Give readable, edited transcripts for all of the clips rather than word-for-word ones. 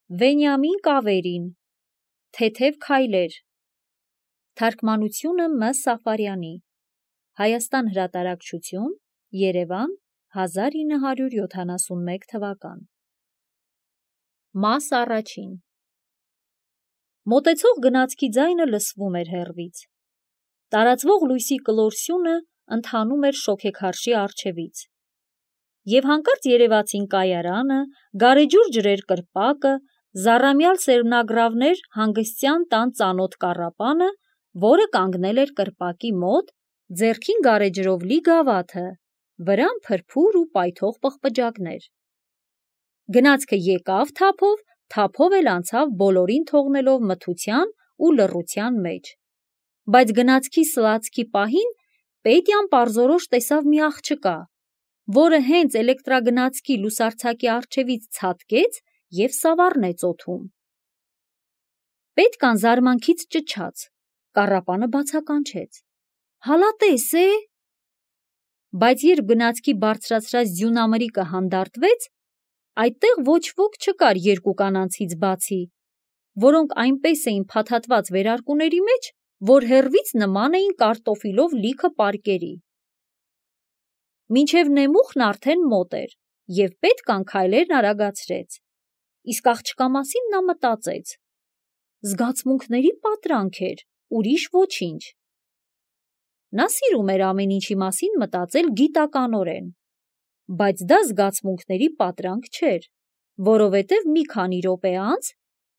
Վենյամին Կավերին, Թեթև քայլեր, թարգմանությունը Մ. Սաֆարյանի, Հայաստան հրատարակչություն, Երևան, 1971 թվական։ Մաս առաջին։ Մոտեցող գնացքի ձայնը լսվում էր հեռվից։ Տարածվող լույսի կլոր սյունը ընթանում էր շոգեքարշի առջևից։ Եվ հանկարծ երևացին կայարանը, գարեջուր ջրեր կրպակը, զառամյալ սերմնագրավներ հանգստյան տան ծանոթ կառապանը, որը կանգնել էր կրպակի մոտ, ձեռքին գարեջրով լի գավաթը, վրան փրփուր ու պայթող պղպջակներ։ Գնացքը եկավ թափով, թափով էլ անցավ բոլորին թողնելով մթության ու լռության մեջ։ Բայց գնացքի սլացքի պահին Պետյան պարզորոշ տեսավ մի աղջկա, որը հենց էլեկտրագնացքի լուսարձակի առջևից ցատկեց և սավառնեց օդում։ Պետկան զարմանքից ճչաց, կառապանը բացականչեց. «Հալա տես է»։ Բայց երբ գնացքի բարձրացրած ձյունամրիկը հանդարտվեց, այդտեղ ոչ ոք չկար երկու կանանցից բացի, որոնք այնպես էին փաթաթված վերարկուների մեջ, որ հեռվից նման էին կարտոֆիլով լիքը պարկերի։ Մինչև նեմուխն արդեն մոտ էր, և Պետկան քայլերն արագացրեց։ Իսկ աղջկա մասին նա մտածեց. զգացմունքների պատրանք էր, ուրիշ ոչինչ։ Նա սիրում էր ամեն ինչի մասին մտածել գիտականորեն, բայց դա զգացմունքների պատրանք չէր, որովհետև մի քանի րոպե անց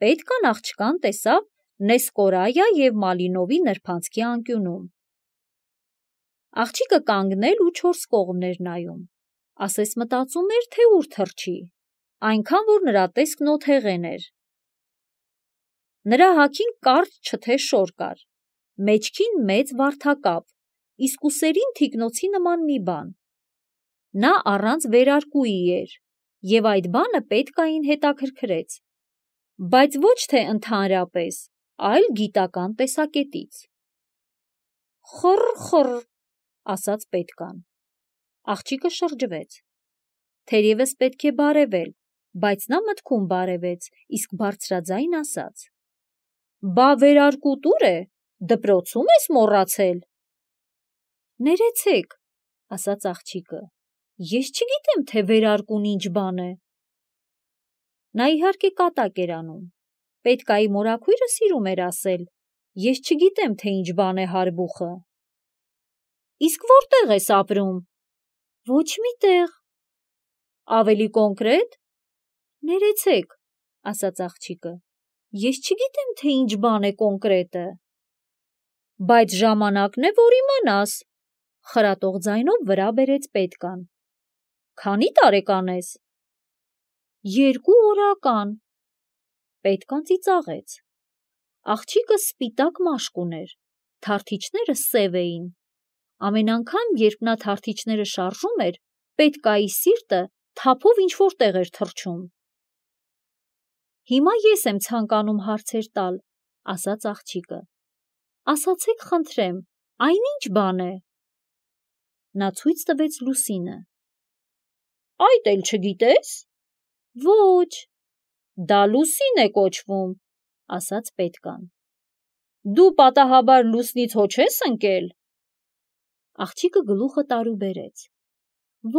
Պետկան աղջկան տեսավ Նեսկորայա և Մալինովի նրբանցքի անկյունում։ Աղջիկը կանգնել ու չորս կողմն էր նայում, ասես մտածում էր, թե ուր թռչի, այնքան որ նրա տեսքն օթեղեն էր։ Նրա հագին կարճ չթե շոր կար, մեջքին մեծ վարդակապ, իսկ ուսերին թիկնոցի նման մի բան։ Նա առանց վերարկուի էր, և այդ բանը Պետկային հետաքրքրեց, բայց ոչ թե ընդհանրապես, այլ գիտական տեսակետից։ «Խռ, ասաց Պետկան։ Աղջիկը շրջվեց։ Թերևս պետք է բարևել, բայց նա մտքում բարևեց, իսկ բարձրաձայն ասաց. «Բա վերարկու տուր է, դպրոցում ես մոռացել»։ «Ներեցեք», ասաց աղջիկը, ես չգիտեմ, թե վերարկուն ինչ բան է։ Նա իհարկե կատակ էր անում։ Պետկայի մորաքույրը սիրում էր ասել. «Ես չգիտեմ, թե ինչ բան է հարբուխը»։ «Իսկ որտե՞ղ ես ապրում»։ «Ոչ մի տեղ»։ «Ավելի կոնկրետ»։ «Ներեցեք», ասաց աղջիկը, ես չգիտեմ, թե ինչ բան է կոնկրետը»։ «Բայց ժամանակն է, որ իմանաս», խրատող ձայնով վրա բերեց Պետկան։ «Քանի տարեկան ես»։ 2 օրական։ Պետկան ծիծաղեց։ Աղջիկը սպիտակ մաշկ ուներ, թարթիչները սև էին։ Ամեն անգամ, երբ նա թարթիչները շարժում էր, Պետկայի սիրտը թափով ինչ-որ տեղ էր թռչում։ «Հիմա ես եմ ցանկանում հարցեր տալ», ասաց աղջիկը։ «Ասացեք խնդրեմ, այն ինչ բան է»։ Նա ցույց տվեց լուսինը։ «Այդ էլ չգիտես»։ «Ոչ»։ «Դա լուսին է կոչվում», ասաց Պետկան։ «Դու պատահաբար լուսնից հո չես ընկել»։ Աղջիկը գլուխը տարուբերեց։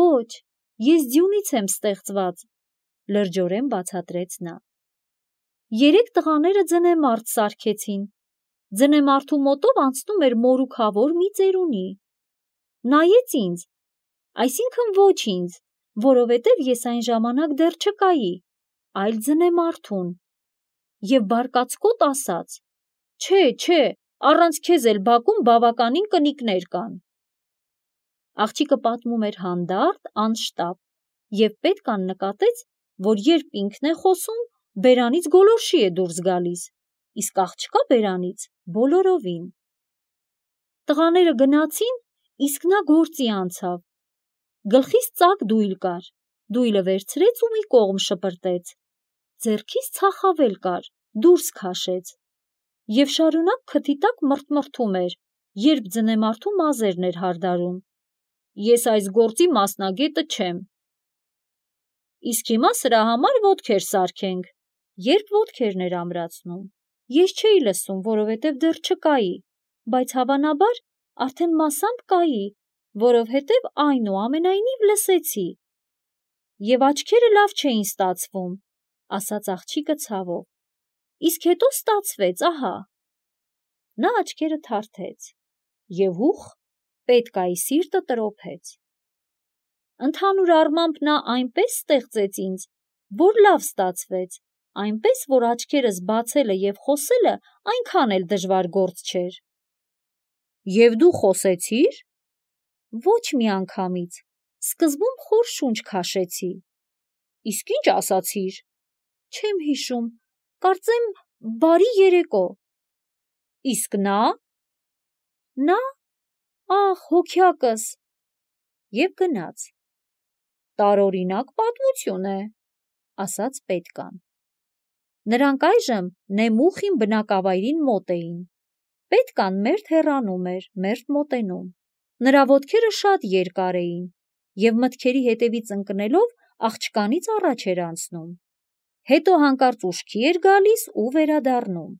«Ոչ, ես ձյունից եմ ստեղծված», լրջորեն բացատրեց նա։ 3 տղաները ձնեմարդ սարքեցին։ Ձնեմարդու մոտով անցնում էր մորուքավոր մի ծերունի։ Նայեց ինձ, այսինքն ոչ ինձ, որովհետև ես այն ժամանակ դեռ չկայի, այլ ձնեմարդուն, և բարկացկոտ ասաց. «Չէ, առանց քեզ էլ բակում բավականին կնիկներ կան»։ Աղջիկը պատմում էր հանդարտ, անշտապ, և Պետկան նկատեց, որ երբ ինքն է խոսում, բերանից գոլորշի է դուրս գալիս, իսկ աղջկա բերանից բոլորովին։ Տղաները գնացին, իսկ նա գործի անցավ։ Գլխիս ծակ դույլ կար, դույլը վերցրեց ու մի կողմ շպրտեց։ Ձեռքից ցախավել կար, դուրս քաշեց։ Եվ շարունակ քթի տակ մռթմռթում էր, երբ ձնեմարդու մազերն էր հարդարում։ Ես այս գործի մասնագետը չեմ։ Իսկ հիմա սրա համար ոտքեր սարքենք, Երբ ոտքերն էր ամրացնում, ես չէի լսում, որովհետև դեռ չկայի, բայց հավանաբար արդեն մասամբ կայի, որովհետև այնուամենայնիվ լսեցի։ Եվ աչքերը լավ չէին ստացվում, ասաց աղջիկը ցավով։ Իսկ հետո ստացվեց, ահա։ Նա աչքերը թարթեց, և ուխ, Պետկայի սիրտը տրոփեց։ Ընդհանուր առմամբ նա այնպես ստեղծեց ինձ, որ լավ ստացվեց, այնպես, որ աչքերս բացելը և խոսելը այնքան էլ դժվար գործ չէր։ Եվ դու խոսեցի՞ր։ Ոչ մի անգամից, սկզբում խոր շունչ քաշեցի։ Իսկ ինչ ասացիր։ Չեմ հիշում, կարծեմ բարի երեկո։ Իսկ նա։ Նա, ախ, հոգյակս։ Եվ գնաց։ Տարօրինակ պատմություն է, ասաց Պետկան։ Նրանք այժմ նեմուխին բնակավայրին մոտ էին։ Պետկան մերթ հեռանում էր, մերթ մոտենում։ Նրա ոտքերը շատ երկար էին, և մտքերի հետևից ընկնելով աղջկանից առաջ էր անցնում։ Հետո հանկարծ ուշքի էր գալիս ու վերադառնում։